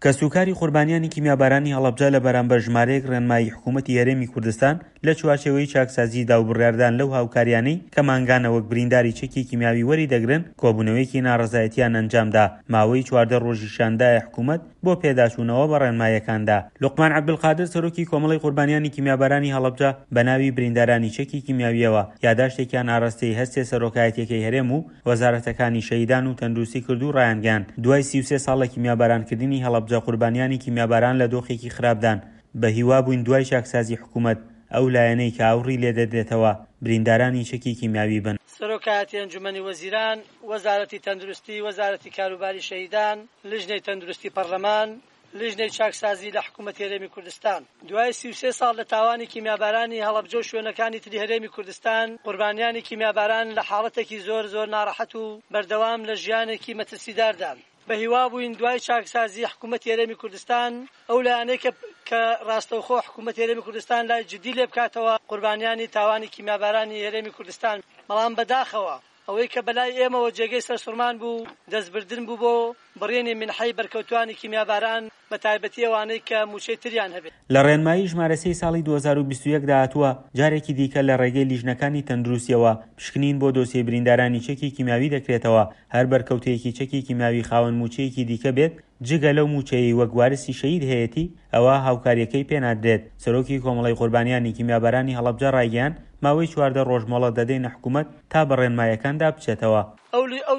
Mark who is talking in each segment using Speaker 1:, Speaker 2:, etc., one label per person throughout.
Speaker 1: کەسوکاری قوربانیانی کیمیابارانی هەڵەبجە لە بەرامبەر ژمارەیەک ڕێنمایی حکوومەتی هەرێمی کوردستان لە چوارچێوەی چاکسازیدا و بڕیاردان لەو هاوکاریانەی کە مانگانە وەک برینداری چەکی کیمیاوی وەری دەگرن کۆبوونەوەیەکی ناڕەزایەتیان ئەنجامدا ماوەی 14 ڕۆژیشیان دایە حکوومەت بۆ پێداچوونەوە بە ڕێنمایەکاندا. لوقمان عەبدولقادر سەرۆکی کۆمەڵەی قوربانیانی کیمیابارانی هەڵەبجە بە ناوی بریندارانی چەکی کیمیاوییەوە یاداشتێکیان ئاراستەی هەرسێ سەرۆکایەتیەکەی هەرێم و وەزارەتەکانی شەهیدان و تەندروستی کرد و ڕایانگەیاند دوای 33 ساڵ لە کیمیابارانکردنی هەڵەبجە قوربانیانی کیمیاباران لە دۆخێکی خراپدان بە هیوا بووین دوای چاکسازی حکوومەت ئەو لایەنەی کە ئاوڕی لێدەدرێتەوە بریندارانی چەکی کیمیاوی بن.
Speaker 2: سەرۆکایەتی ئەنجومەنی وەزیران، وەزارەتی تەندروستی، وەزارەتی کاروباری شەهیدان، لیژنەی تەندروستی پەڕلەمان، لیژنەی چاکسازی لە حکوومەتی هەرێمی کوردستان. دوای 33 ساڵ لە تاوانی کیمیابارانی هەڵەبجە و شوێنەکانی تری هەرێمی کوردستان، قوربانیانی کیمیاباران لە حاڵەتێکی زۆر زۆر ناڕەحەت و بەردەوام لە ژیانێکی مەترسیداردان. بە هیوا بووین دوای چاکسازی حکوومەتی هەرێمی کوردستان ئەو لایەنەی کە کە ڕاستەوخۆ حکوومەتی هەرێمی کوردستان لای جدی لێ بکاتەوە قوربانیانی تاوانی کیمیابارانی هەرێمی کوردستان، بەڵام بەداخەوە ئەوەی کە بەلای ئێمەوە جێگەی سەرسوڕمان بوو دەستبردن بوو بۆ بڕینی مینحەی بەرکەوتوانی کیمیاباران بە تایبەتی ئەوانەی کە مووچەی تریان هەبێت.
Speaker 1: لە ڕێنمایی ژمارە سێی ساڵی 2021 دا هاتووە، جارێکی دیکە لە ڕێگەی لیژنەکانی تەندروستییەوە پشکنین بۆ دۆسیەی بریندارانی چەکی کیمیاوی دەکرێتەوە، هەر بەرکەوتەیەکی چەکی کیمیاوی خاوەن مووچەیەکی دیکە بێت جگە لەو مووچەیەی وەک وارسی شەهید هەیەتی ئەوا هاوکارییەکەی پێنادرێت. سەرۆکی کۆمەڵەی قوربانیانی کیمیابارانی هەڵەبجە ڕایگەیاند، ماوەی 14 ڕۆژ مۆڵەت دەدەینە حکومەت تا بە ڕێنمایەکاندا بچێتەوە.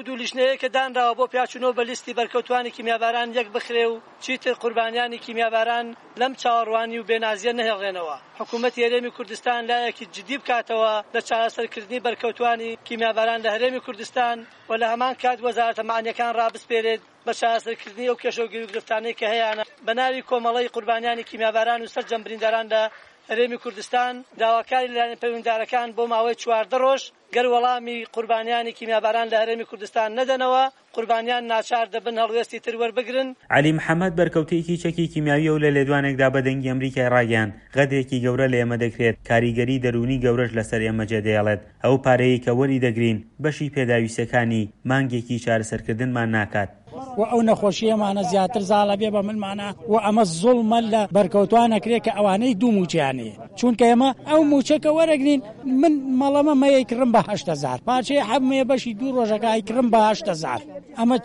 Speaker 2: ئەو دوو لیژنەیە کە دانراوە بۆ پیاچوونەوە بە لیستی بەرکەوتوانی کیمیاباران یەک بخرێ و چیتر قوربانیانی کیمیاباران لەم چاوەڕوانی و بێنازیە نەهێڵرێنەوە. حکوومەتی هەرێمی کوردستان لایەکی جدی بکاتەوە لە چارەسەرکردنی بەرکەوتوانی کیمیاباران لە هەرێمی کوردستان و لە هەمان کات وەزارەتە مەعنیەکان ڕابسپێرێت بە چارەسەرکردنی ئەو کێشە و گیروگرفتانەی کە هەیانە. بە ناوی کۆمەڵەی قوربانیانی کیمیاباران و سەرجەم برینداران لە هەرێمی کوردستان داواکاری لە لایەنە پەیوەندیدارەکان بۆ ماوەی 14 ڕۆژ گەر وەڵامی قوربانیانی کیمیاباران لە هەرێمی کوردستان نەدەنەوە، قوربانیان ناچار دەبن هەڵوێستی تر وەربگرن.
Speaker 1: عەلی محەمەد بەرکەوتەیەکی چەکی کیمیاویە و لە لێدوانێکدا بە دەنگی ئەمریکای ڕاگەیاند، غەدرێکی گەورە لە ئێمە دەکرێت، کاریگەری دەروونی گەورەش لەسەر ئێمە جێدەهێڵێت، ئەو پارەیەی کە وەریدەگرین بەشی پێداویستیەکانی مانگێکی چارەسەرکردنمان ناکات.
Speaker 3: و ئەو نەخۆشیەمانە زیاتر زاڵ ئەبێ بە ملمانا و ئەمە زوڵمە لە بەرکەوتوان ئەکرێ کە ئەوانەی دوو موچەیان هەیە چونکە ئێمە ئەو موچە کە وەرەگرین من مەڵەمە مەیەی کڕم بە 8هزار پارچەی حەبمەیە بەشی دوو ڕۆژەکە ئەیکڕم بە 8هزار ئەمە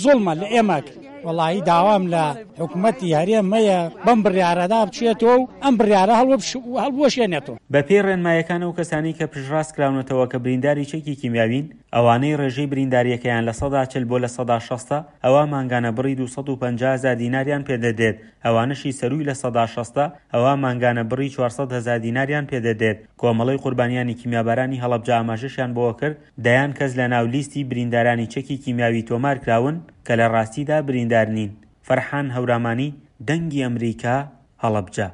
Speaker 3: زوڵمە لە ئێمە وەڵاهی داوام لە حکومەتی هەرێم هەیە بەم بڕیارەدا بچێتەوە و ئەم بڕیارە هەڵبوەشێنێتەوە.
Speaker 1: بەپێی ڕێنمایەکان ئەو کەسانەی کە پشتڕاست کراونەتەوە کە برینداری چەکی کیمیاوین، ئەوانەی ڕێژەی بریندارییەکەیان 40% بۆ 60% ە، ئەوا مانگانە بڕی 250 هەزار دیناریان پێدەدرێت، ئەوانەشی سەرووی 60% ە، ئەوا مانگانە بڕی 400 هەزار دیناریان پێدەدرێت. کۆمەڵەی قوربانیانی کیمیابارانی هەڵەبجە ئاماژەشیان بەوەکرد، دەیان کەس لەناو لیستی بریندارانی چەکی کیمیاوی تۆمارکراون کە لە ڕاستیدا بریندار نین. فەرحان هەورامانی، دەنگی ئەمریکا، هەڵەبجە.